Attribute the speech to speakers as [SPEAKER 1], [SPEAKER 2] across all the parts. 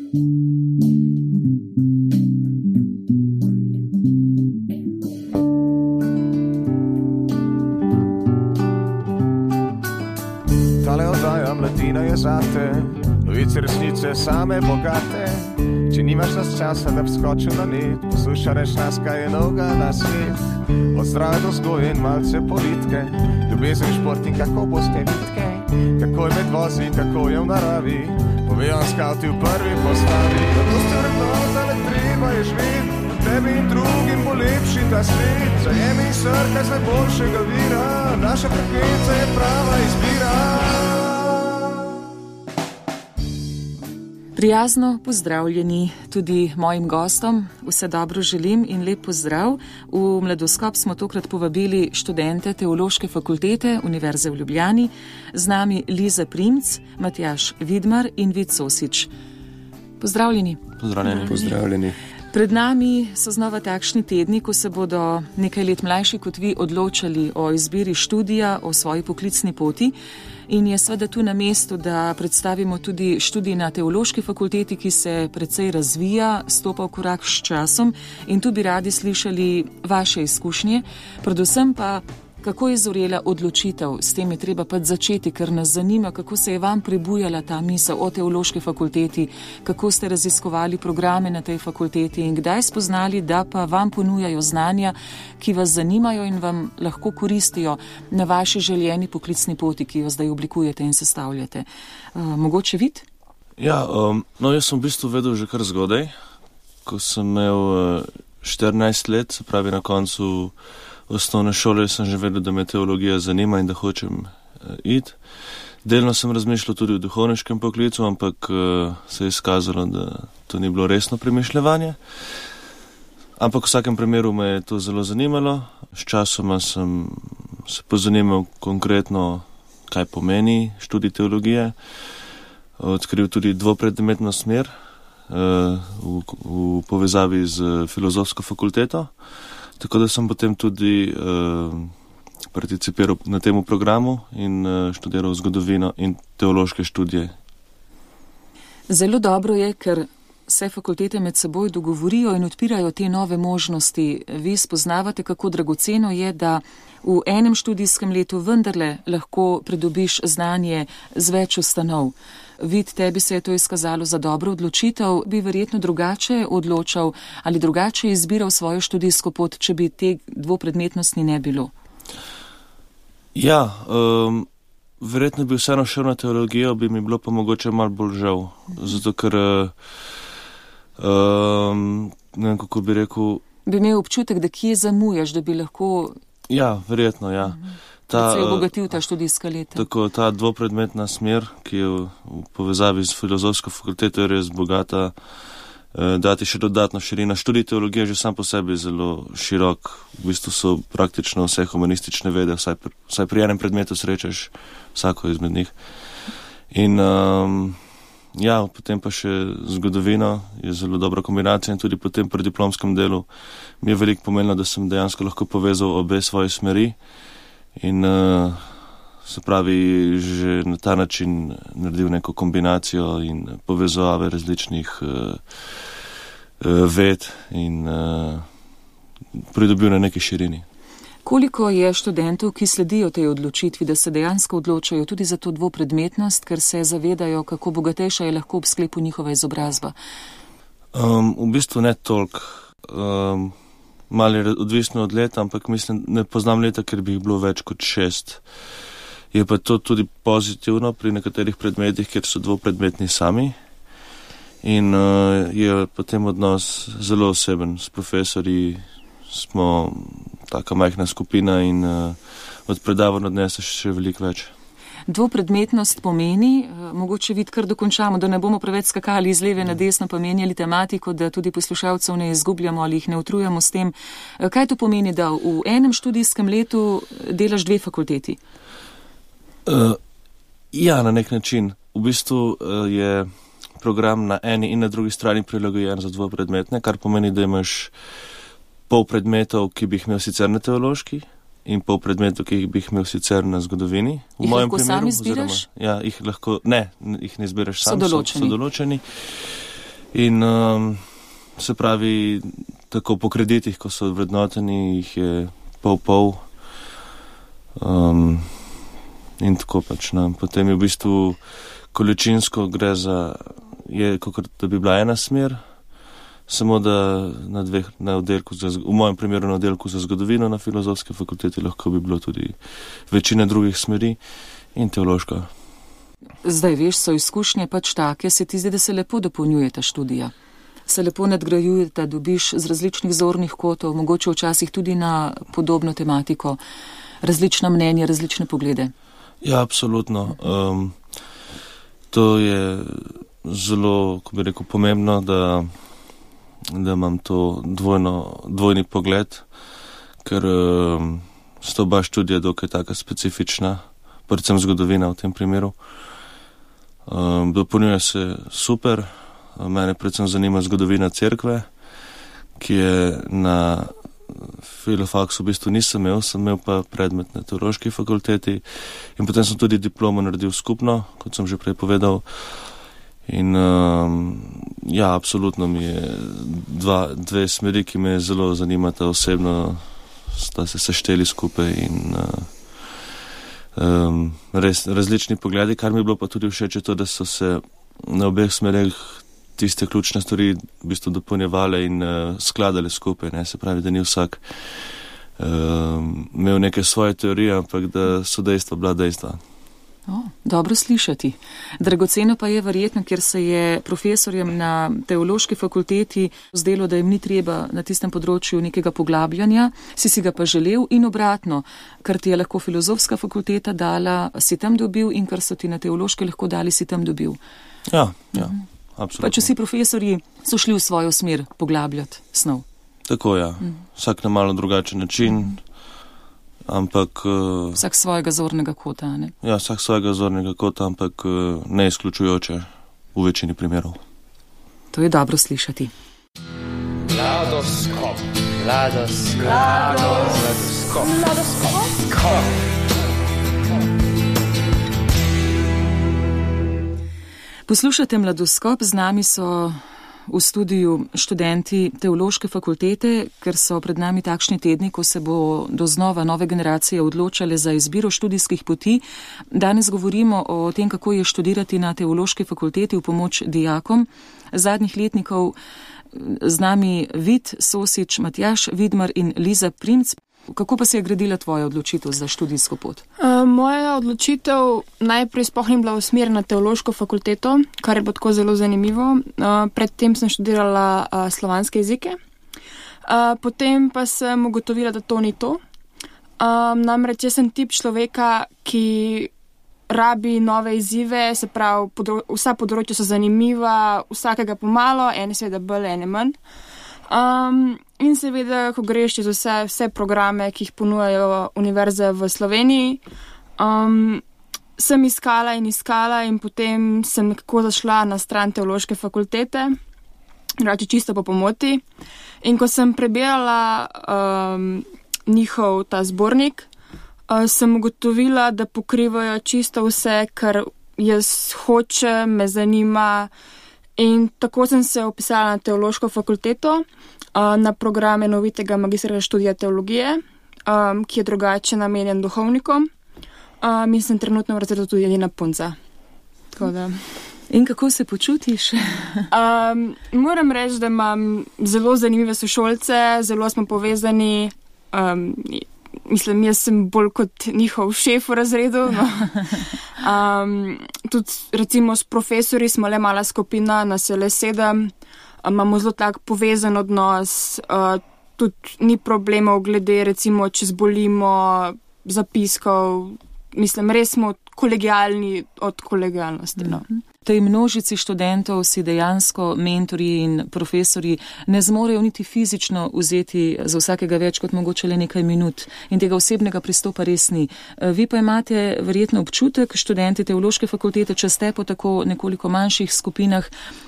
[SPEAKER 1] Tale oddaja Mladina je zate, novice resnice same bogate. Če nimaš nas časa, da bi skočil na net, poslušaš nas, kaj je novega na svet. Od zdrave do vzgoje in malce politike, ljubezen, šport in kako boste vitke, kako je med vozi, kako je v naravi, povejo skavti v prvi postavi. Zato ste vrednota, le treba je živeti, tebi in drugim bo lepši ta svet. Zajemi srka z najboljšega vira, naša frekvenca je prava izbira.
[SPEAKER 2] Prijazno pozdravljeni tudi mojim gostom, vse dobro želim in lep pozdrav. V Mladoskop smo tokrat povabili študente Teološke fakultete Univerze v Ljubljani, z nami Liza Primc, Matjaž Vidmar in Vid Sosič. Pozdravljeni.
[SPEAKER 3] Pozdravljeni.
[SPEAKER 2] Pred nami so znova takšni tedni, ko se bodo nekaj let mlajši kot vi odločali o izbiri študija, o svoji poklicni poti. In je seveda tu na mestu, da predstavimo tudi študij na Teološki fakulteti, ki se precej razvija, stopa v korak s časom in tu bi radi slišali vaše izkušnje, predvsem pa kako je zorela odločitev. S tem je treba pa začeti, ker nas zanima, kako se je vam prebujala ta misel o Teološki fakulteti, kako ste raziskovali programe na tej fakulteti in kdaj spoznali, da pa vam ponujajo znanja, ki vas zanimajo in vam lahko koristijo na vaši željeni poklicni poti, ki jo zdaj oblikujete in sestavljate. Mogoče Vid?
[SPEAKER 3] Ja, jaz sem v bistvu vedel že kar zgodaj, ko sem imel 14 let, se pravi na koncu osnovne šole, sem že vedel, da me teologija zanima in da hočem iti. Delno sem razmišljal tudi o duhovniškem poklicu, ampak se je izkazalo, da to ni bilo resno premišljevanje. Ampak v vsakem primeru me je to zelo zanimalo. S časoma sem se pozanimal konkretno, kaj pomeni študij teologije. Odkril tudi dvopredmetno smer v povezavi z filozofsko fakulteto. Tako da sem potem tudi participiral na temu programu in študiral zgodovino in teološke študije.
[SPEAKER 2] Zelo dobro je, ker se fakultete med seboj dogovorijo in odpirajo te nove možnosti. Vi spoznavate, kako dragoceno je, da v enem študijskem letu vendarle lahko pridobiš znanje z več ustanov. Vid, tebi se je to izkazalo za dobro odločitev, bi verjetno drugače odločal ali drugače izbiral svojo študijsko pot, če bi te dvopredmetnosti ne bilo?
[SPEAKER 3] Ja, verjetno bi vseeno šel na teologijo, bi mi bilo pa mogoče malo bolj žal. Zato ker, ne vem, kako bi rekel...
[SPEAKER 2] Bi imel občutek, da kje zamujaš, da bi lahko...
[SPEAKER 3] Ja, verjetno, ja.
[SPEAKER 2] Da se je obogatil ta študijska leta.
[SPEAKER 3] Tako, ta dvopredmetna smer, ki je v povezavi z filozofsko fakulteto, je res bogata, dati še dodatno širina. Študij teologije že sam po sebi zelo širok, v bistvu so praktično vse humanistične vede, vsaj pri enem predmetu srečaš vsako izmed njih. In ja, potem pa še zgodovino je zelo dobra kombinacija in tudi potem pri diplomskem delu mi je veliko pomenilo, da sem dejansko lahko povezal obe svoje smeri. In se pravi, že na ta način naredil neko kombinacijo in povezave različnih ved in pridobil na neki širini.
[SPEAKER 2] Koliko je študentov, ki sledijo tej odločitvi, da se dejansko odločajo tudi za to dvopredmetnost, ker se zavedajo, kako bogatejša je lahko ob sklepu njihova izobrazba?
[SPEAKER 3] V bistvu ne toliko. Malo je odvisno od leta, ampak mislim, ne poznam leta, ker bi jih bilo več kot 6. Je pa to tudi pozitivno pri nekaterih predmetih, ker so dvopredmetni sami in je potem odnos zelo oseben. S profesorji smo taka majhna skupina in od predavanj odneseš še veliko več.
[SPEAKER 2] Dvopredmetnost pomeni, mogoče Vid kar dokončamo, da ne bomo preveč skakali iz leve na desno, pa menjali tematiko, da tudi poslušalcev ne izgubljamo ali jih ne utrujamo s tem. Kaj to pomeni, da v enem študijskem letu delaš 2 fakulteti?
[SPEAKER 3] Ja, na nek način. V bistvu je program na eni in na drugi strani prilagojen za dvopredmetne, kar pomeni, da imaš pol predmetov, ki bi jih imel sicer na teološki, in pol predmetov, ki jih bi imel sicer na zgodovini.
[SPEAKER 2] Jih lahko sam izbiraš?
[SPEAKER 3] Ja, jih ne izbiraš sam, so določeni. In se pravi, tako po kreditih, ko so vrednoteni, jih je pol. In tako pač. No. Potem je v bistvu količinsko gre kot da bi bila ena smer, samo da na oddelku, v mojem primeru na oddelku za zgodovino na Filozofski fakulteti, lahko bi bilo tudi večina drugih smeri in teološka.
[SPEAKER 2] Zdaj veš, so izkušnje pač take, se ti zdi, da se lepo dopolnjuje ta študija. Se lepo nadgrajuje, da dobiš z različnih zornih kotov, mogoče včasih tudi na podobno tematiko, različna mnenja, različne poglede.
[SPEAKER 3] Ja, absolutno. To je zelo, ko bi rekel, pomembno, da imam to dvojni pogled, ker sta oba študija dokaj taka specifična, predvsem zgodovina v tem primeru. Dopolnjuje se super, mene predvsem zanima zgodovina cerkve, ki je na filofaksu v bistvu nisem imel, sem imel pa predmet na teološki fakulteti in potem sem tudi diplomo naredil skupno, kot sem že prej povedal. In ja, absolutno mi je dve smeri, ki me zelo zanimata osebno, sta se sešteli skupaj in res različni pogledi, kar mi je bilo pa tudi všeč je to, da so se na obeh smereh tiste ključne stvari v bistvu dopolnjevale in skladale skupaj, ne? Se pravi, da ni vsak imel neke svoje teorije, ampak da so dejstva bila dejstva.
[SPEAKER 2] Dobro slišati. Dragoceno pa je verjetno, ker se je profesorjem na teološki fakulteti zdelo, da jim ni treba na tistem področju nekega poglabljanja, si ga pa želel in obratno, kar ti je lahko filozofska fakulteta dala, si tam dobil in kar so ti na teološki lahko dali, si tam dobil.
[SPEAKER 3] Ja, absolutno.
[SPEAKER 2] Pa če si profesorji so šli v svojo smer poglabljati snov.
[SPEAKER 3] Tako, ja. Vsak na malo drugačen način. Ampak
[SPEAKER 2] vsak svojega zornega kota, ne?
[SPEAKER 3] Ja, vsak svojega zornega kota, ampak ne izključujoče v večini primerov.
[SPEAKER 2] To je dobro slišati.
[SPEAKER 4] Mladoskop.
[SPEAKER 2] Poslušate Mladoskop, z nami so v studiu študenti teološke fakultete, ker so pred nami takšni tedni, ko se bo doznova nove generacije odločale za izbiro študijskih poti. Danes govorimo o tem, kako je študirati na teološki fakulteti v pomoč dijakom. Zadnjih letnikov z nami Vid Sosič, Matjaž Vidmar in Liza Primc. Kako pa se je gradila tvoja odločitev za študijsko pot?
[SPEAKER 5] Moja odločitev najprej sploh ni bila usmerjena na teološko fakulteto, kar je bilo tako zelo zanimivo. Predtem sem študirala slovanske jezike. Potem pa sem ugotovila, da to ni to. Namreč jaz sem tip človeka, ki rabi nove izzive, se pravi, vsa področja so zanimiva, vsakega pomalo, ene seveda bolj, ene manj. In seveda, ko greš čez vse programe, ki jih ponujajo univerze v Sloveniji, sem iskala in potem sem nekako zašla na stran teološke fakultete, rači čisto po pomoti. In ko sem prebirala njihov ta zbornik, sem ugotovila, da pokrivajo čisto vse, kar jaz hočem, me zanima. In tako sem se upisala na teološko fakulteto, na programe novitega magistrskega študija teologije, ki je drugače namenjen duhovnikom. In sem trenutno v razredu tudi edina punca.
[SPEAKER 2] In kako se počutiš?
[SPEAKER 5] Moram reči, da imam zelo zanimive sošolce, zelo smo povezani. Mislim, jaz sem bolj kot njihov šef v razredu. No. Tudi recimo s profesori smo le mala skupina, nas je le 7. Imamo zelo tak povezan odnos, tudi ni problemov glede recimo, če zbolimo zapiskov. Mislim, res smo kolegialni od kolegialnosti. No.
[SPEAKER 2] V tej množici študentov si dejansko mentorji in profesori ne zmorejo niti fizično vzeti za vsakega več kot mogoče le nekaj minut in tega osebnega pristopa res ni. Vi pa imate verjetno občutek, študenti teološke fakultete, če ste po tako nekoliko manjših skupinah,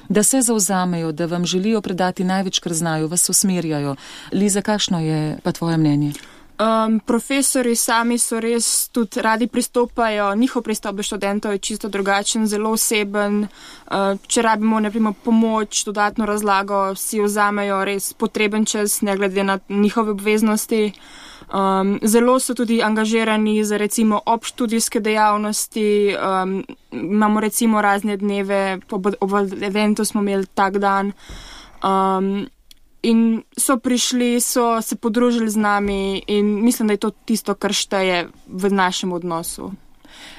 [SPEAKER 2] da se zavzamejo, da vam želijo predati največ, kar znajo, vas usmerjajo. Liza, kakšno je pa tvoje mnenje?
[SPEAKER 5] Profesori sami so res tudi radi pristopajo, njihov pristop do študentov je čisto drugačen, zelo oseben. Če rabimo, naprimer, pomoč, dodatno razlago, si vzamejo res potreben čas, ne glede na njihove obveznosti. Zelo so tudi angažirani za recimo obštudijske dejavnosti, imamo recimo razne dneve, ob eventu smo imeli tak dan. In so prišli, so se podružili z nami in mislim, da je to tisto, kar šteje v našem odnosu.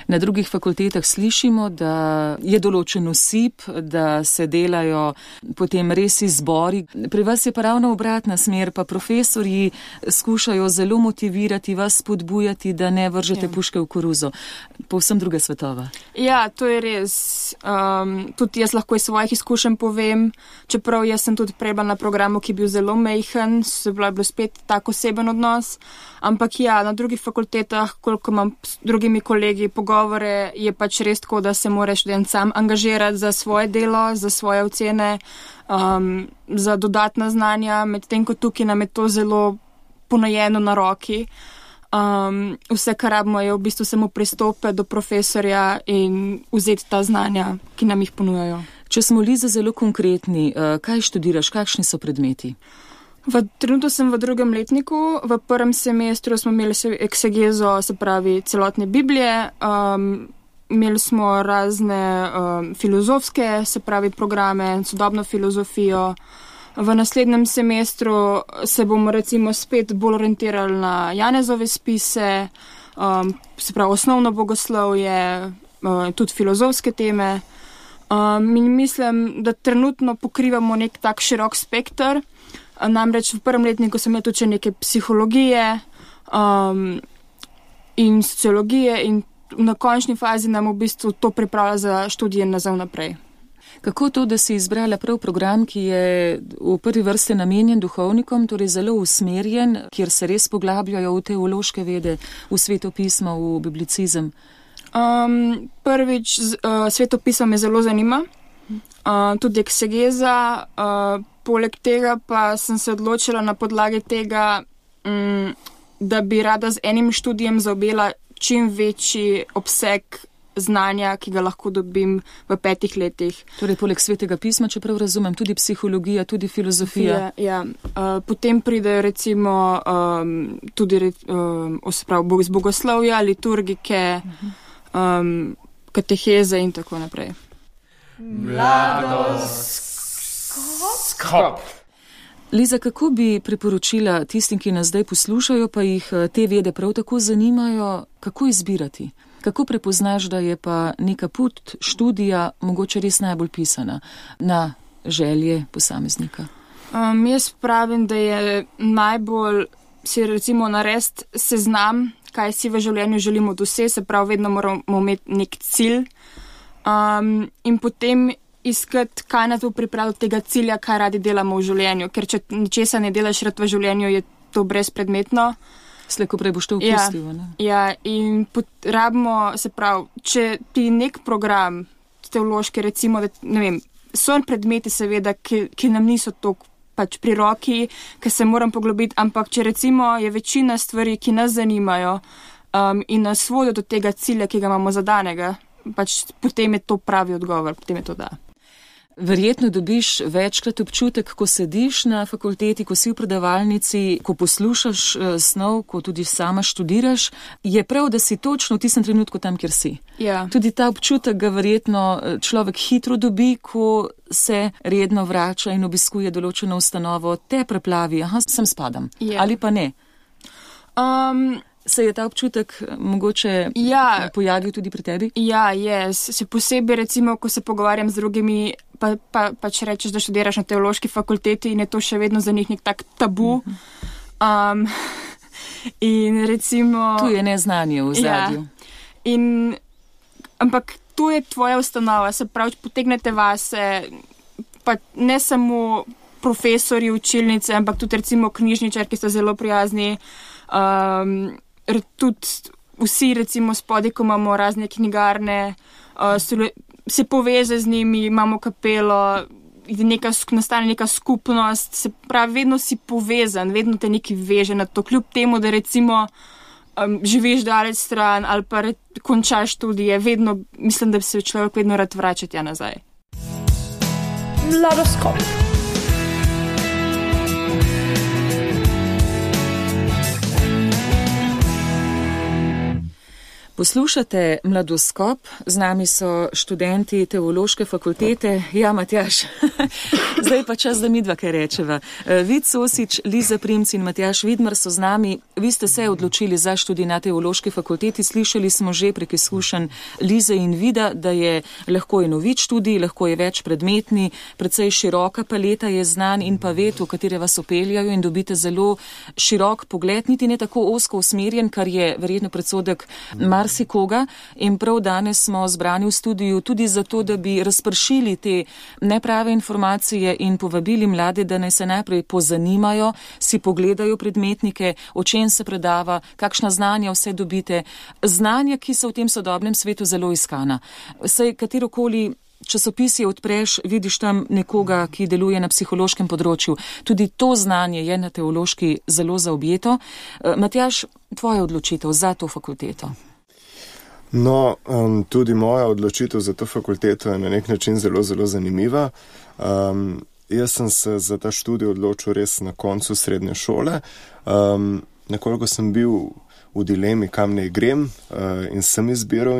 [SPEAKER 2] Na drugih fakultetah slišimo, da je določen osip, da se delajo potem res izbori. Pri vas je pa ravno obratna smer, pa profesorji skušajo zelo motivirati vas, spodbujati, da ne vržete puške v koruzo. Povsem druga svetova.
[SPEAKER 5] Ja, to je res. Tudi jaz lahko iz svojih izkušenj povem, čeprav jaz sem tudi prebila na programu, ki je bil zelo mejhen, se je bilo spet tak oseben odnos. Ampak ja, na drugih fakultetah, koliko imam s drugimi kolegi pogovore, je pač res tako, da se mora študent sam angažirati za svoje delo, za svoje ocene, za dodatna znanja, medtem ko tukaj nam je to zelo ponajeno na roki. Vse, kar rabimo, je v bistvu samo pristope do profesorja in vzeti ta znanja, ki nam jih ponujajo.
[SPEAKER 2] Če smo, Liza, zelo konkretni, kaj študiraš, kakšni so predmeti?
[SPEAKER 5] Trenutno sem v drugem letniku, v prvem semestru smo imeli eksegezo, se pravi celotne Biblije, imeli smo razne filozofske, se pravi programe, sodobno filozofijo. V naslednjem semestru se bomo recimo spet bolj orientirali na Janezove spise, se pravi osnovno bogoslovje, tudi filozofske teme. In mislim, da trenutno pokrivamo nek tak širok spekter. Namreč v prvem letniku sem imel tudi neke psihologije in sociologije in na končni fazi nam v bistvu to pripravlja za študije nazaj naprej.
[SPEAKER 2] Kako to, da si izbrala prav program, ki je v prvi vrsti namenjen duhovnikom, torej zelo usmerjen, kjer se res poglabljajo v teološke vede, v svetopismo, v biblicizem?
[SPEAKER 5] Prvič, svetopismo me zelo zanima, tudi eksegeza. Poleg tega pa sem se odločila na podlagi tega, da bi rada z enim študijem zaobjela čim večji obseg znanja, ki ga lahko dobim v 5 letih.
[SPEAKER 2] Torej, poleg svetega pisma, če prav razumem, tudi psihologija, tudi filozofija.
[SPEAKER 5] Ja. Potem pridejo recimo tudi z bogoslovja, liturgike, kateheze in tako naprej.
[SPEAKER 4] Mladost. Skop.
[SPEAKER 2] Liza, kako bi priporočila tistim, ki nas zdaj poslušajo, pa jih te vede prav tako zanimajo, kako izbirati? Kako prepoznaš, da je pa neka pot študija mogoče res najbolj pisana na želje posameznika?
[SPEAKER 5] Jaz pravim, da je najbolj si recimo narediti seznam, kaj si v življenju želimo doseči, se pravi, vedno moramo imeti nek cilj in potem iskati, kaj nas bo pripravilo tega cilja, kaj radi delamo v življenju. Ker če ničesa ne delaš rad v življenju, je to brezpredmetno.
[SPEAKER 2] Slejko prej boš to opustil, ne?
[SPEAKER 5] Ja, in rabimo, se pravi, če ti nek program teološki, recimo, da, ne vem, so predmeti seveda, ki nam niso toliko pač pri roki, ki se moram poglobiti, ampak če recimo je večina stvari, ki nas zanimajo in nas vodijo do tega cilja, ki ga imamo zadanega, pač potem je to pravi odgovor, potem je to da.
[SPEAKER 2] Verjetno dobiš večkrat občutek, ko sediš na fakulteti, ko si v predavalnici, ko poslušaš snov, ko tudi sama študiraš, je prav, da si točno v tistem trenutku tam, kjer si.
[SPEAKER 5] Ja.
[SPEAKER 2] Tudi ta občutek ga verjetno človek hitro dobi, ko se redno vrača in obiskuje določeno ustanovo, te preplavi, sem spadam.
[SPEAKER 5] Ja.
[SPEAKER 2] Ali pa ne? Se je ta občutek mogoče pojavil tudi pri tebi?
[SPEAKER 5] Ja, se posebej recimo, ko se pogovarjam z drugimi, pač rečeš, da študiraš na teološki fakulteti in je to še vedno za njih nek tak tabu. In recimo...
[SPEAKER 2] Tu je neznanje v ozadju.
[SPEAKER 5] Ja. Ampak tu je tvoja ustanova, se pravi, potegnete vase, pa ne samo profesori, učilnice, ampak tudi recimo knjižničar, ki sta zelo prijazni, tudi vsi recimo spodaj, ko imamo razne knjigarne, se poveze z njimi, imamo kapelo, nastane neka skupnost, se pravi, vedno si povezan, vedno te nekaj veže na to, kljub temu, da recimo živiš daleč stran ali pa končaš študije, vedno, mislim, da bi se človek vedno rad vračal tja nazaj.
[SPEAKER 4] Mladoskop.
[SPEAKER 2] Poslušate Mladoskop, z nami so študenti Teološke fakultete. Ja, Matjaž, zdaj pa čas, da mi dva kaj rečeva. Vid Sosič, Liza Primc in Matjaž Vidmar so z nami. Vi ste se odločili za študij na Teološki fakulteti. Slišali smo že prek izkušenj Lize in Vida, da je lahko enovit študij, lahko je več predmetni, precej široka paleta je znanj in pa ved, v katere vas opeljajo in dobite zelo širok pogled, niti ne tako ozko usmerjen, kar je verjetno predsodek marsikoga, in prav danes smo zbrani v studiu tudi zato, da bi razpršili te neprave informacije in povabili mlade, da naj se najprej pozanimajo, si pogledajo predmetnike, o čem se predava, kakšna znanja vse dobite, znanja, ki so v tem sodobnem svetu zelo iskana. Saj katerokoli časopisi odpreš, vidiš tam nekoga, ki deluje na psihološkem področju. Tudi to znanje je na teološki zelo zaobjeto. Matjaž, tvoja odločitev za to fakulteto?
[SPEAKER 6] No, tudi moja odločitev za to fakulteto je na nek način zelo, zelo zanimiva. Jaz sem se za ta študij odločil res na koncu srednje šole. Nekoliko sem bil v dilemi, kam ne grem, in sem izbiral.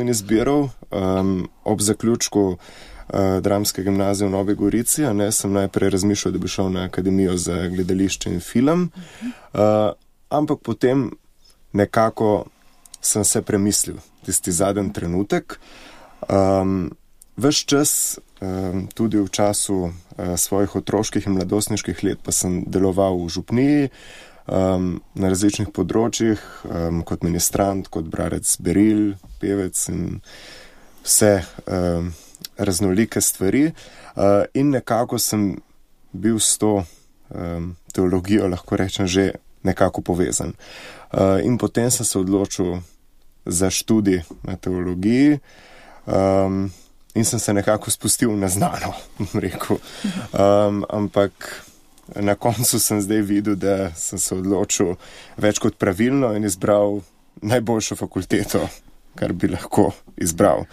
[SPEAKER 6] Ob zaključku dramske gimnazije v Novi Gorici, sem najprej razmišljal, da bi šel na Akademijo za gledališče in film, ampak potem nekako sem se premislil, tisti zadnji trenutek. Ves čas, tudi v času svojih otroških in mladostniških let, pa sem deloval v župniji, na različnih področjih, kot ministrant, kot bralec beril, pevec in vse raznolike stvari. In nekako sem bil s to teologijo, lahko rečem, že nekako povezan. In potem sem se odločil za študij na teologiji in sem se nekako spustil na znano, rekel. Ampak na koncu sem zdaj videl, da sem se odločil več kot pravilno in izbral najboljšo fakulteto, kar bi lahko izbral.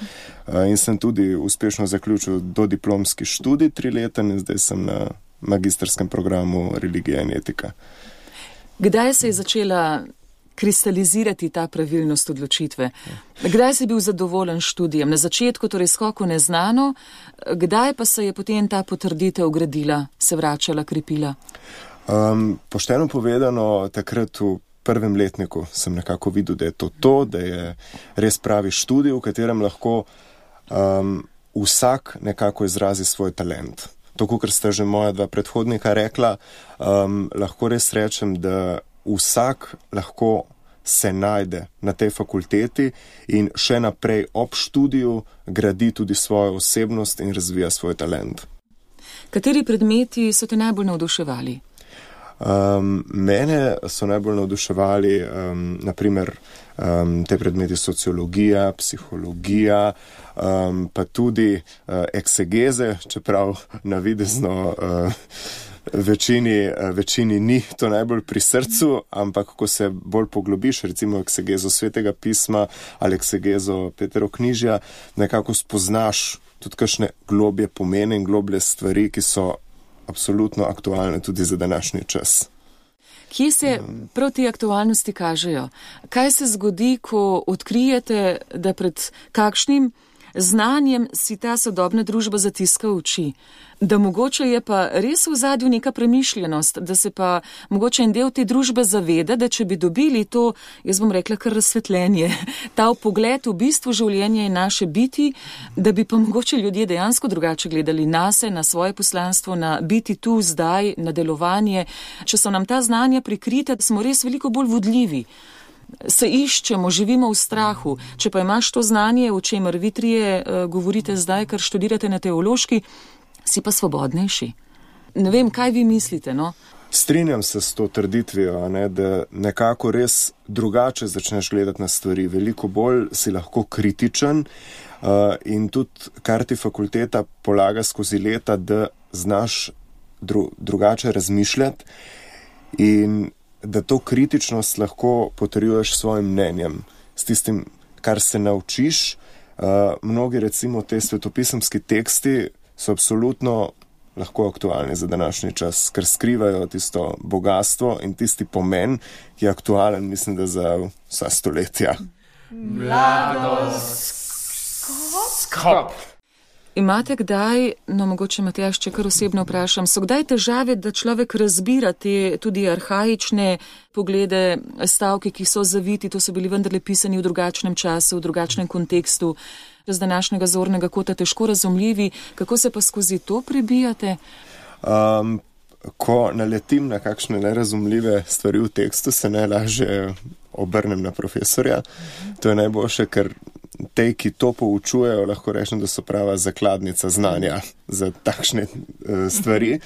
[SPEAKER 6] In sem tudi uspešno zaključil dodiplomski študij 3-leten in zdaj sem na magistrskem programu religija in etika.
[SPEAKER 2] Kdaj se je začela kristalizirati ta pravilnost odločitve? Kdaj si bil zadovoljen študijem? Na začetku, torej skoku neznano, kdaj pa se je potem ta potrditev gradila, se vračala, krepila?
[SPEAKER 6] Pošteno povedano, takrat v prvem letniku sem nekako videl, da je to, da je res pravi študij, v katerem lahko vsak nekako izrazi svoj talent. Tako, ker sta že moja dva predhodnika rekla, lahko res rečem, da vsak lahko se najde na tej fakulteti in še naprej ob študiju gradi tudi svojo osebnost in razvija svoj talent.
[SPEAKER 2] Kateri predmeti so te najbolj navduševali?
[SPEAKER 6] Mene so najbolj navduševali naprimer te predmeti sociologija, psihologija, pa tudi eksegeze, čeprav navidezno večini ni to najbolj pri srcu, ampak ko se bolj poglobiš, recimo eksegezo Svetega pisma ali eksegezo Peteroknjižja, nekako spoznaš tudi kakšne globje pomene in globlje stvari, ki so absolutno aktualne tudi za današnji čas.
[SPEAKER 2] Kje se prav te aktualnosti kažejo? Kaj se zgodi, ko odkrijete, da pred kakšnim znanjem si ta sodobna družba zatiska oči? Da mogoče je pa res v zadju neka premišljenost, da se pa mogoče en del te družbe zaveda, da če bi dobili to, jaz bom rekla, kar razsvetljenje, ta pogled v bistvu življenja in naše biti, da bi pa mogoče ljudje dejansko drugače gledali nase, na svoje poslanstvo, na biti tu zdaj, na delovanje. Če so nam ta znanja prikrita, smo res veliko bolj vodljivi. Se iščemo, živimo v strahu. Če pa imaš to znanje, o čemer vi trije govorite zdaj, kar študirate na teološki, si pa svobodnejši. Ne vem, kaj vi mislite, no?
[SPEAKER 6] Strinjam se s to trditvijo, da nekako res drugače začneš gledati na stvari. Veliko bolj si lahko kritičen in tudi, kar ti fakulteta polaga skozi leta, da znaš drugače razmišljati in da to kritičnost lahko potrjuješ s svojim mnenjem, s tistim, kar se naučiš. Mnogi recimo te svetopisemski teksti so absolutno lahko aktualni za današnji čas, ker skrivajo tisto bogatstvo in tisti pomen, ki je aktualen, mislim, da za vsa stoletja.
[SPEAKER 4] Mladoskop.
[SPEAKER 2] Imate kdaj, no mogoče Matjaž, če kar osebno vprašam, so kdaj težave, da človek razbira te tudi arhaične poglede, stavke, ki so zaviti, to so bili vendarle pisani v drugačnem času, v drugačnem kontekstu, z današnjega zornega kota težko razumljivi, kako se pa skozi to prebijate?
[SPEAKER 6] Ko naletim na kakšne nerazumljive stvari v tekstu, se najlažje obrnem na profesorja. To je najboljše, ker tej, ki to poučujejo, lahko rečem, da so prava zakladnica znanja za takšne stvari.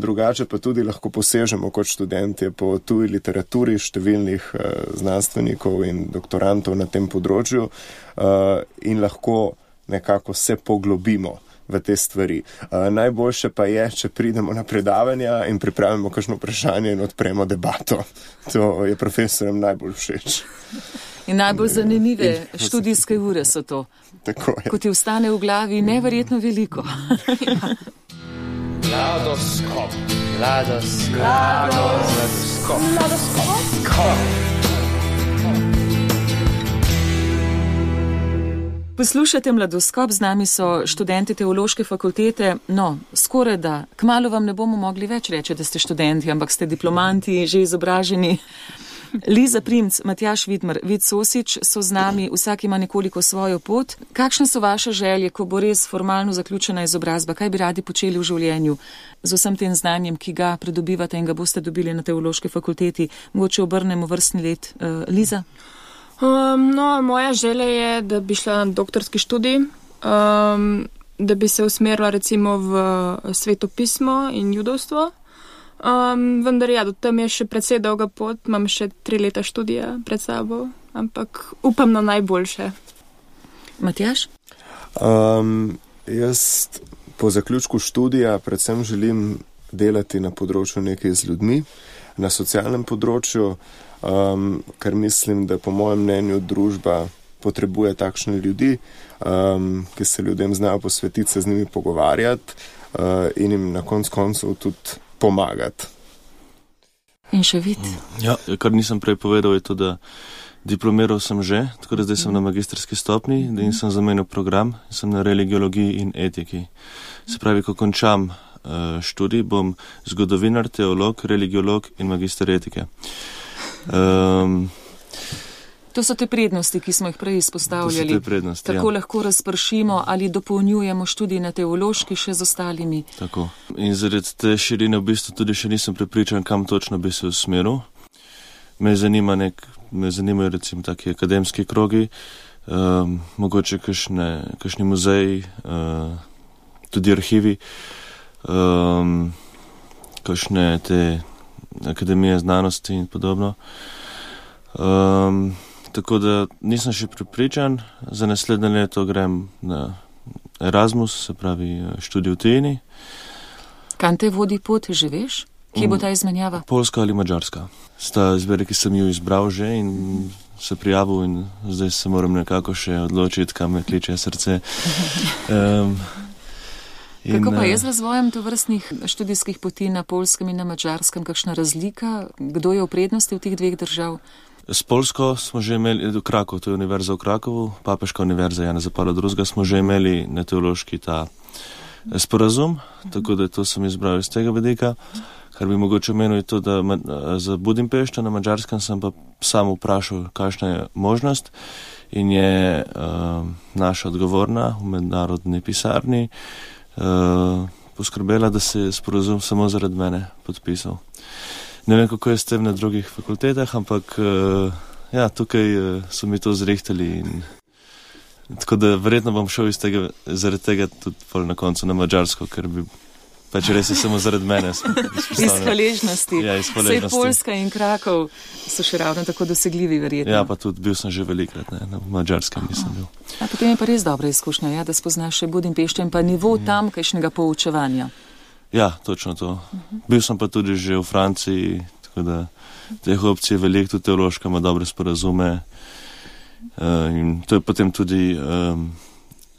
[SPEAKER 6] Drugače pa tudi lahko posežemo kot študentje po tuji literaturi številnih znanstvenikov in doktorantov na tem področju in lahko nekako se poglobimo v te stvari. Najboljše pa je, če pridemo na predavanja in pripravimo kakšno vprašanje in odpremo debato. To je profesorjem najbolj všeč.
[SPEAKER 2] In najbolj zanimive študijske ure so to.
[SPEAKER 6] Tako je.
[SPEAKER 2] Ko ti vstane v glavi neverjetno veliko.
[SPEAKER 4] Mladoskop. Mladoskop.
[SPEAKER 2] Poslušate Mladoskop, z nami so študenti Teološke fakultete. No, skoraj da, kmalu vam ne bomo mogli več reči, da ste študenti, ampak ste diplomanti, že izobraženi. Liza Primc, Matjaž Vidmar, Vid Sosič so z nami, vsak ima nekoliko svojo pot. Kakšne so vaše želje, ko bo res formalno zaključena izobrazba? Kaj bi radi počeli v življenju z vsem tem znanjem, ki ga pridobivate in ga boste dobili na Teološki fakulteti? Mogoče obrnemo vrstni red. Liza?
[SPEAKER 5] Moja želja je, da bi šla na doktorski študij, da bi se usmerila recimo v svetopismo in judovstvo. Vendar ja, do tam je še precej dolga pot, imam še 3 leta študija pred sabo, ampak upam na najboljše.
[SPEAKER 2] Matjaž?
[SPEAKER 6] Jaz po zaključku študija predvsem želim delati na področju nekaj z ljudmi, na socialnem področju, ker mislim, da po mojem mnenju družba potrebuje takšne ljudi, ki se ljudem znajo posvetiti, se z njimi pogovarjati in jim na koncu tudi pomagati.
[SPEAKER 2] In še Vid?
[SPEAKER 3] Ja, kar nisem prej povedal, je to, da diplomiral sem že, tako da zdaj sem na magistrski stopni in sem zamenil program, sem na religiologiji in etiki. Se pravi, ko končam študij, bom zgodovinar, teolog, religiolog in magister etike.
[SPEAKER 2] To so te prednosti, ki smo jih prej izpostavljali.
[SPEAKER 3] To so te prednosti,
[SPEAKER 2] tako lahko razpršimo ali dopolnjujemo študij na teološki še z ostalimi.
[SPEAKER 3] Tako. In zaradi te širine v bistvu tudi še nisem prepričan, kam točno bi se usmeril. Me zanimajo recimo taki akademski krogi, mogoče kakšni muzeji, tudi arhivi, kakšne te akademije znanosti in podobno. Tako da nisem še prepričan, za naslednje leto grem na Erasmus, se pravi študij v tujini.
[SPEAKER 2] Kam te vodi pot, že veš? Kje bo ta izmenjava?
[SPEAKER 3] Poljska ali Madžarska. Sta izbere, ki sem jo izbral že in se prijavil in zdaj se moram nekako še odločiti, kam me kliče srce.
[SPEAKER 2] Kako pa je z razvojem tovrstnih študijskih poti na Poljskem in na Madžarskem? Kakšna razlika? Kdo je v prednosti v teh dveh držav?
[SPEAKER 3] S Poljsko smo že imeli, v Krakovu, to je univerza v Krakovu, Papeška univerza Janeza Pavla II, smo že imeli na teološki ta sporazum, tako da to sem izbral iz tega vidika. Kar bi mogoče omenil je to, da za Budimpešto na Madžarskem sem pa sam vprašal, kakšna je možnost in je naša odgovorna v mednarodni pisarni poskrbela, da se je sporazum samo zaradi mene podpisal. Ne vem, kako je s tem na drugih fakultetah, ampak ja, tukaj so mi to zrihtali in tako da verjetno bom šel zaradi tega tudi na koncu na Madžarsko, ker bi pač res je samo zaradi mene.
[SPEAKER 2] Iz hvaležnosti.
[SPEAKER 3] Ja, iz hvaležnosti.
[SPEAKER 2] Sej Poljska in Krakov so še ravno tako dosegljivi, verjetno.
[SPEAKER 3] Ja, pa tudi bil sem že velikrat, na Madžarskem nisem bil.
[SPEAKER 2] A potem je pa res dobra izkušnja, ja, da spoznaš še Budimpešto in pa nivo tamkajšnjega poučevanja.
[SPEAKER 3] Ja, točno to. Bil sem pa tudi že v Franciji, tako da teh opcij je veliko, tudi teološka ima dobre sporazume. In to je potem tudi,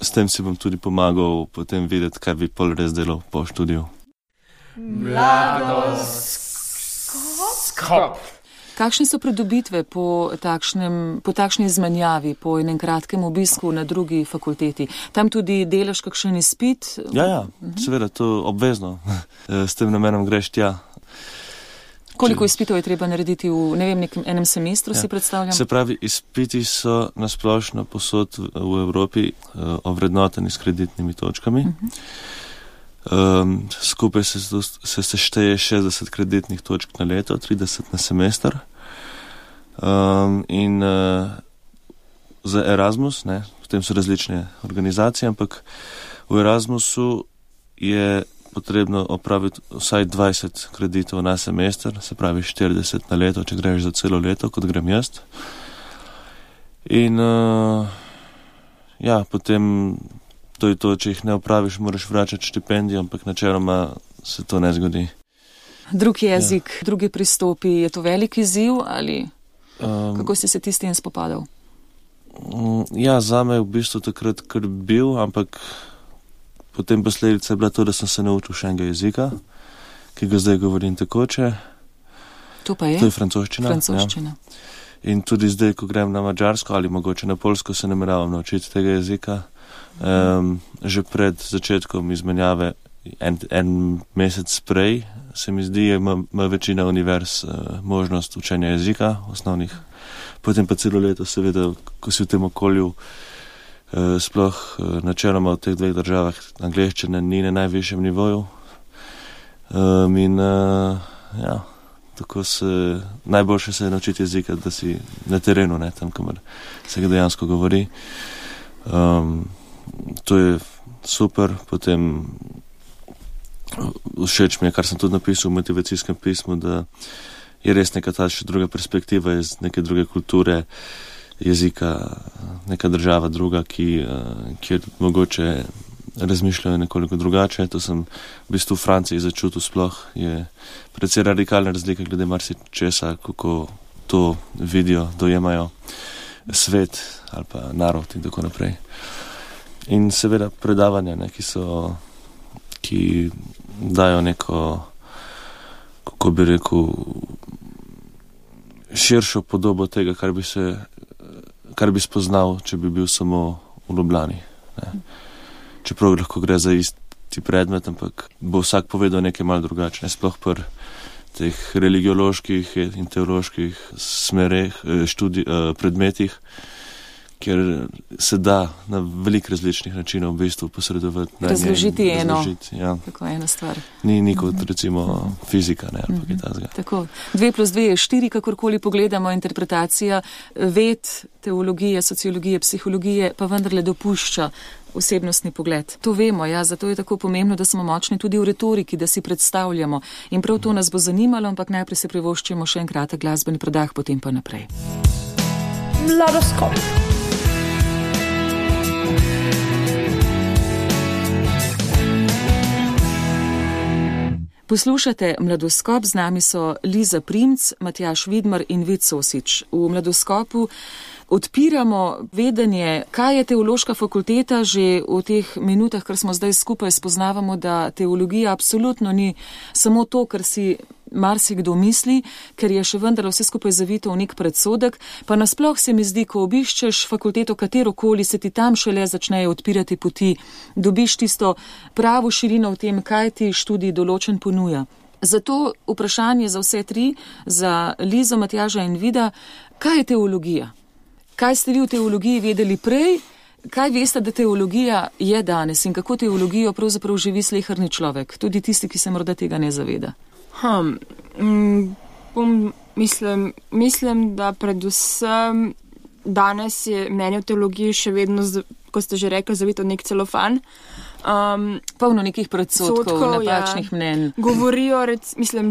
[SPEAKER 3] s tem si bom tudi pomagal potem videti, kaj bi pol res delal po študiju.
[SPEAKER 4] Mladoskop.
[SPEAKER 2] Kakšne so pridobitve po takšni izmenjavi, po enem kratkem obisku na drugi fakulteti? Tam tudi delaš kakšen izpit?
[SPEAKER 3] Ja, seveda, to obvezno. S tem namenom greš tja.
[SPEAKER 2] Koliko izpitov je treba narediti v, ne vem, enem semestru, si predstavljam?
[SPEAKER 3] Se pravi, izpiti so nasplošno posod v Evropi ovrednoteni s kreditnimi točkami. Skupaj se sešteje 60 kreditnih točk na leto, 30 na semester. In za Erasmus, potem so različne organizacije, ampak v Erasmusu je potrebno opraviti vsaj 20 kreditov na semester, se pravi 40 na leto, če greš za celo leto, kot grem jaz. In potem to je to, če jih ne opraviš, moraš vračati štipendijo, ampak načeloma se to ne zgodi.
[SPEAKER 2] Drug jezik, drugi pristopi, je to velik izziv ali kako si se ti s tem spopadal?
[SPEAKER 3] Ja, zame je v bistvu takrat kar bil, ampak potem posledica je bila to, da sem se naučil še enega jezika, ki ga zdaj govorim tekoče.
[SPEAKER 2] To pa je?
[SPEAKER 3] To je francoščina.
[SPEAKER 2] Ja.
[SPEAKER 3] In tudi zdaj, ko grem na madžarsko ali mogoče na polsko, se nameravam naučiti tega jezika. Že pred začetkom izmenjave, en mesec prej, se mi zdi, ima večina univerz možnost učenja jezika osnovnih. Potem pa celo leto, seveda, ko si v tem okolju, sploh načeloma v teh dveh državah, angleščina ni na najvišjem nivoju. Tako najboljše se je naučiti jezika, da si na terenu, tam, kamor se ga dejansko govori. To je super, potem všeč mi je, kar sem tudi napisal v motivacijskem pismu, da je res neka ta še druga perspektiva iz neke druge kulture, jezika, neka država druga, kjer mogoče razmišljajo nekoliko drugače. To sem v bistvu v Franciji začutil sploh, je precej radikalna razlika glede marsičesa, kako to vidijo, dojemajo svet ali pa narod in tako naprej. In seveda predavanja, ki dajo neko, kako bi rekel, širšo podobo tega, kar bi spoznal, če bi bil samo v Ljubljani. Čeprav lahko gre za isti predmet, ampak bo vsak povedal nekaj malo drugače, sploh pri teh religioloških in teoloških smereh, predmetih, ker se da na veliko različnih načinov v bistvu posredovati.
[SPEAKER 2] Razložiti eno.
[SPEAKER 3] Ja.
[SPEAKER 2] Tako ena stvar.
[SPEAKER 3] Ni kot recimo fizika, ali pa kaj takega.
[SPEAKER 2] Tako. 2+2 je 4, kakorkoli pogledamo, interpretacija ved, teologije, sociologije, psihologije, pa vendarle dopušča osebnostni pogled. To vemo, zato je tako pomembno, da smo močni tudi v retoriki, da si predstavljamo. In prav to nas bo zanimalo, ampak najprej se privoščimo še en kratek glasbeni predah, potem pa naprej.
[SPEAKER 4] Mladoskop.
[SPEAKER 2] Poslušate Mladoskop, z nami so Liza Primc, Matjaž Vidmar in Vid Sosič. V Mladoskopu odpiramo vedenje, kaj je teološka fakulteta. Že v teh minutah, kar smo zdaj skupaj, spoznavamo, da teologija absolutno ni samo to, kar si marsikdo misli, ker je še vendar vse skupaj zavito v nek predsodek, pa nasploh se mi zdi, ko obiščeš fakulteto katerokoli, se ti tam šele začnejo odpirati poti, dobiš tisto pravo širino v tem, kaj ti študij določen ponuja. Zato vprašanje za vse tri, za Lizo, Matjaža in Vida, kaj je teologija? Kaj ste vi v teologiji vedeli prej? Kaj veste, da teologija je danes in kako teologijo pravzaprav živi sleherni človek, tudi tisti, ki se morda tega ne zaveda?
[SPEAKER 5] Mislim, da predvsem danes je mnenje o teologiji še vedno, kot ste že rekli, zavito nek celofan.
[SPEAKER 2] Polno nekih predsotkov, napačnih mnenj.
[SPEAKER 5] Govorijo,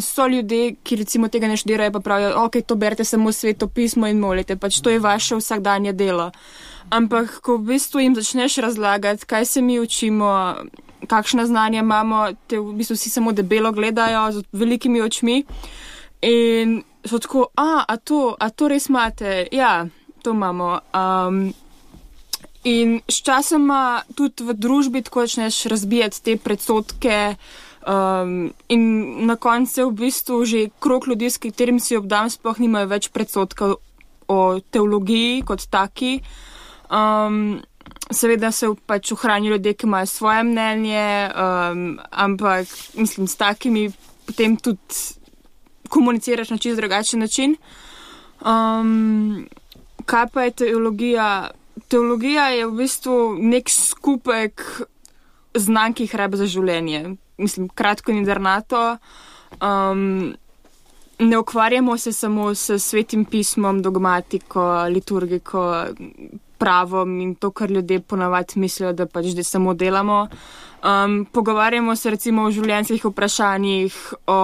[SPEAKER 5] so ljudje, ki recimo tega ne študirajo, pa pravijo, ok, to berete samo svetopismo in molite, pač to je vaše vsakdanje delo. Ampak, ko v bistvu jim začneš razlagati, kaj se mi učimo, kakšna znanja imamo, te v bistvu vsi samo debelo gledajo z velikimi očmi in so tako, a to res imate? Ja, to imamo. In s časoma tudi v družbi tako začneš razbijati te predsodke in na koncu v bistvu že krog ljudi, s katerim si obdam, sploh nimajo več predsodkov o teologiji kot taki. Seveda se pač ohranijo ljudje, ki imajo svoje mnenje, ampak mislim, s takimi potem tudi komuniciraš na čisto drugačen način. Kaj pa je teologija? Teologija je v bistvu nek skupek znanj, ki jih rabi za življenje. Mislim, kratko in jedrnato. Ne ukvarjamo se samo s svetim pismom, dogmatiko, liturgiko, pravom in to, kar ljudje ponavadi mislijo, da pač zdaj samo delamo. Pogovarjamo se recimo o življenjskih vprašanjih, o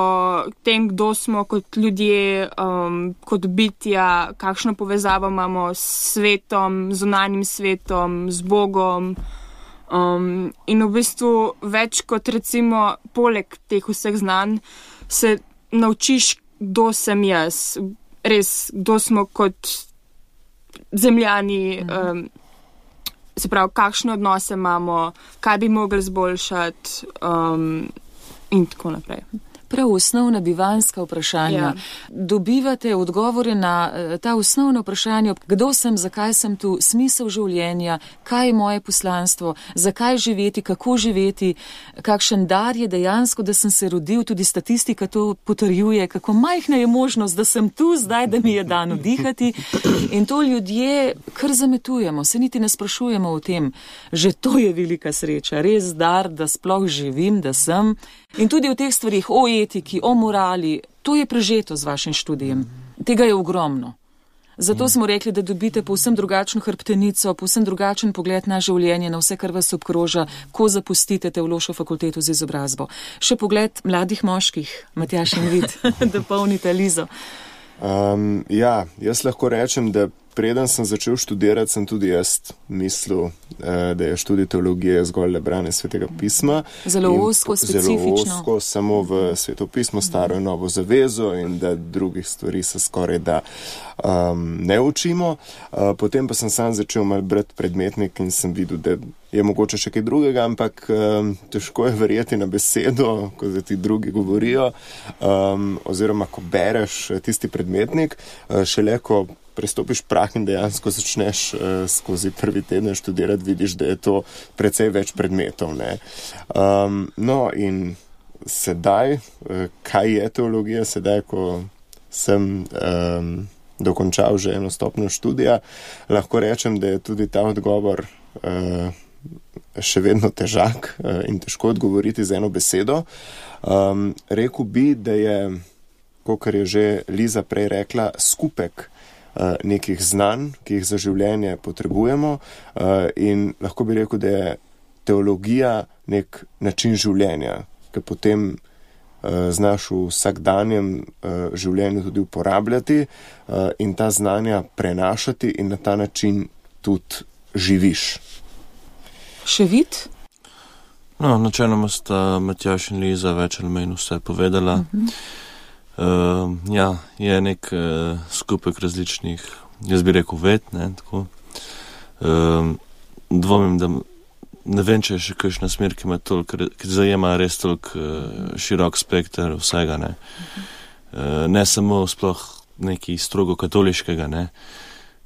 [SPEAKER 5] tem, kdo smo kot ljudje, kot bitja, kakšno povezavo imamo s svetom, zunanjim svetom, z Bogom. In v bistvu več kot recimo poleg teh vseh znanj se naučiš, kdo sem jaz, res, kdo smo kot zemljani, se pravi, kakšne odnose imamo, kaj bi mogli zboljšati in tako naprej.
[SPEAKER 2] Prav osnovna bivanjska vprašanja. Ja. Dobivate odgovore na ta osnovna vprašanja, kdo sem, zakaj sem tu, smisel življenja, kaj je moje poslanstvo, zakaj živeti, kako živeti, kakšen dar je dejansko, da sem se rodil, tudi statistika to potrjuje, kako majhna je možnost, da sem tu zdaj, da mi je dano dihati. In to ljudje kar zametujemo, se niti ne sprašujemo o tem. Že to je velika sreča, res dar, da sploh živim, da sem. In tudi o teh stvarih, o etiki, o morali, to je prežeto z vašim študijem. Tega je ogromno. Zato smo rekli, da dobite povsem drugačno hrbtenico, povsem drugačen pogled na življenje, na vse, kar vas obkroža, ko zapustite teološko fakulteto z izobrazbo. Še pogled mladih moških, Matjaž in Vid, dopolnite Lizo.
[SPEAKER 6] Ja, jaz lahko rečem, da preden sem začel študirati, sem tudi jaz mislil, da je študij teologije zgolj le branje svetega pisma.
[SPEAKER 2] Zelo ozko, specifično.
[SPEAKER 6] Zelo ozko, samo v sveto pismo, staro in novo zavezo in da drugih stvari se skoraj da ne učimo. Potem pa sem sam začel malo brati predmetnik in sem videl, da je mogoče še kaj drugega, ampak težko je verjeti na besedo, ko ti drugi govorijo, oziroma ko bereš tisti predmetnik, šele ko prestopiš prah in dejansko začneš skozi prvi teden študirati, vidiš, da je to precej več predmetov. Ne? No in sedaj, kaj je teologija, sedaj, ko sem dokončal že eno stopnjo študija, lahko rečem, da je tudi ta odgovor še vedno težak in težko odgovoriti z eno besedo. Rekel bi, da je, kakor je že Liza prej rekla, skupek nekih znanj, ki jih za življenje potrebujemo in lahko bi rekel, da je teologija nek način življenja, ki potem znaš v vsakdanjem življenju tudi uporabljati in ta znanja prenašati in na ta način tudi živiš.
[SPEAKER 2] Še Vid?
[SPEAKER 3] No, načeloma sta Matjaž in Liza več ali manj vse povedala. Ja, je nek skupek različnih, jaz bi rekel ved, ne, tako. Dvomim, da ne vem, če je še kakšna smer, ki ima toliko, ki zajema res toliko širok spekter vsega, ne. Ne samo sploh nekaj strogo katoliškega, ne.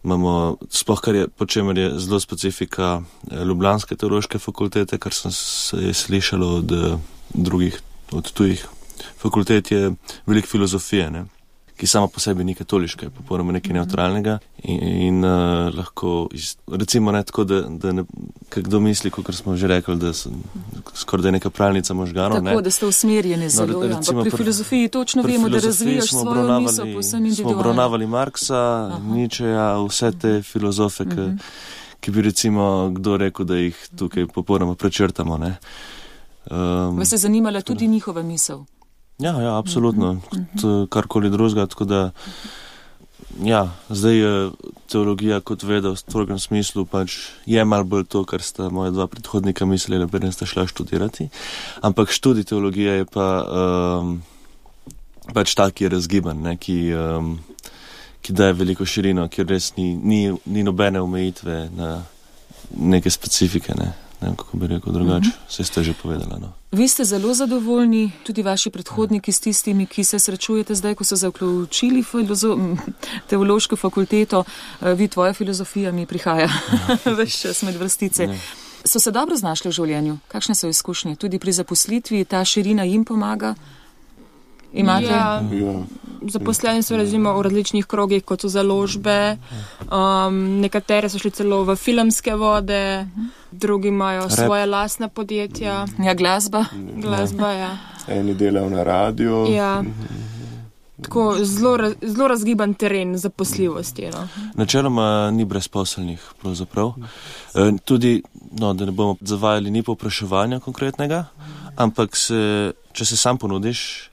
[SPEAKER 3] Imamo, sploh kar je, po čemer je zelo specifika ljubljanske teološke fakultete, kar sem se slišalo od drugih, od tujih fakultet, je veliko filozofije, ne, ki sama po sebi ni katoliška, je popolnoma nekaj neutralnega in lahko, recimo ne tako, da ne, kdo misli, kot smo že rekli, da skoraj da je neka pralnica možganov.
[SPEAKER 2] Tako, ne? Da ste usmerjeni zelo, no, ampak pri filozofiji točno vemo, da razvijaš svojo misel povsem individualno.
[SPEAKER 3] Smo obravnavali Marksa, Nietzscheja, vse te filozofe, ki bi recimo kdo rekel, da jih tukaj popolnoma prečrtamo. Ne.
[SPEAKER 2] Vas je zanimala tudi njihova misel?
[SPEAKER 3] Ja, absolutno. Karkoli drugega, tako da zdaj je teologija kot veda v strogem smislu pač je malo bolj to, kar sta moja dva predhodnika mislila, preden sta šla študirati. Ampak študij teologije je pa pač tak, ki je razgiban, ne, ki daje veliko širino, kjer res ni nobene omejitve na neke specifike, ne vem, kako bi rekel drugače, vse ste že povedala. No.
[SPEAKER 2] Vi ste zelo zadovoljni, tudi vaši predhodniki s tistimi, ki se srečujete zdaj, ko so zaključili teološko fakulteto, vi, tvoja filozofija mi prihaja ves čas med vrstice. Ne. So se dobro znašli v življenju? Kakšne so izkušnje? Tudi pri zaposlitvi ta širina jim pomaga? Imate?
[SPEAKER 5] Ja. Zaposleni so razimo v različnih krogih, kot so založbe, nekatere so šli celo v filmske vode, drugi imajo svoje lastna podjetja.
[SPEAKER 2] Ja, glasba,
[SPEAKER 5] ja.
[SPEAKER 6] Eni delajo na radiju.
[SPEAKER 5] Ja. Tako zelo razgiban teren zaposljivosti. No.
[SPEAKER 3] Načeloma ni brezposelnih, pravzaprav. Tudi, da ne bomo zavajali, ni povpraševanja konkretnega, ampak če se sam ponudiš,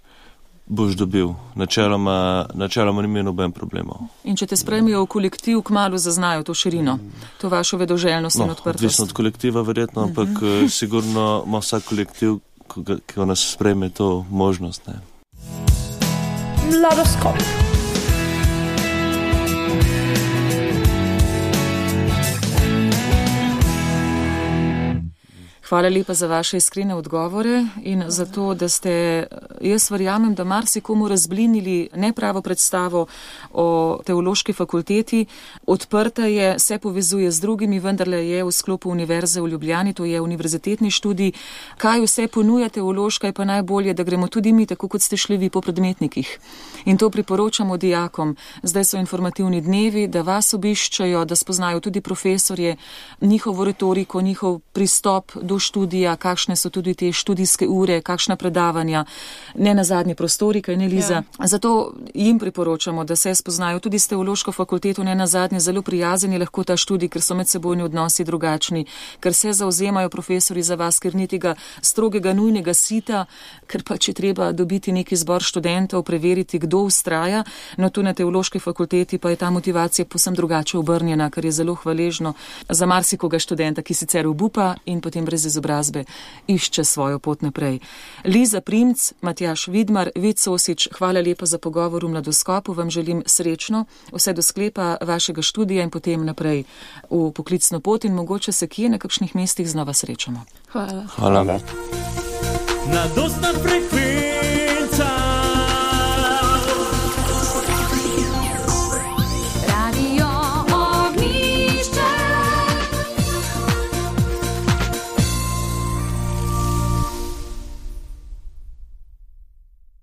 [SPEAKER 3] boš dobil. Načeloma ni imel noben problemov.
[SPEAKER 2] In če te spremijo v kolektiv, kmalu zaznajo to širino, to vašo vedoželjnost in odprtost.
[SPEAKER 3] Odvisno od kolektiva verjetno, ampak sigurno ima vsak kolektiv, ki nas spreme, to možnost. Ne.
[SPEAKER 4] Mladoskop.
[SPEAKER 2] Hvala lepa za vaše iskrene odgovore in za to, da ste, jaz verjamem, da marsikomu razblinili nepravo predstavo o teološki fakulteti. Odprta je, se povezuje z drugimi, vendarle je v sklopu Univerze v Ljubljani, to je univerzitetni študij. Kaj vse ponuja teološka, je pa najbolje, da gremo tudi mi, tako kot ste šli vi po predmetnikih. In to priporočamo dijakom. Zdaj so informativni dnevi, da vas obiščajo, da spoznajo tudi profesorje, njihovo retoriko, njihov pristop do študija, kakšne so tudi te študijske ure, kakšna predavanja, ne nazadnje prostorika in Eliza. Ja. Zato jim priporočamo, da se spoznajo tudi s teološko fakulteto, ne nazadnje zelo prijazen je lahko ta študij, ker so medsebojni odnosi drugačni, ker se zauzemajo profesori za vas, ker ni tega strogega, nujnega sita, ker pa če treba dobiti neki zbor študentov, preveriti, kdo vztraja, no tu na teološki fakulteti pa je ta motivacija povsem drugače obrnjena, kar je zelo hvaležno za marsikoga študenta, ki sicer obupa in potem brez izobrazbe išče svojo pot naprej. Liza Primc, Matjaž Vidmar, Vid Sosič, hvala lepa za pogovor v Mladoskopu, vam želim srečno, vse do sklepa vašega študija in potem naprej v poklicno pot in mogoče se kje na kakšnih mestih znova srečamo.
[SPEAKER 5] Hvala.
[SPEAKER 3] Hvala.
[SPEAKER 7] Na dostna frekvenca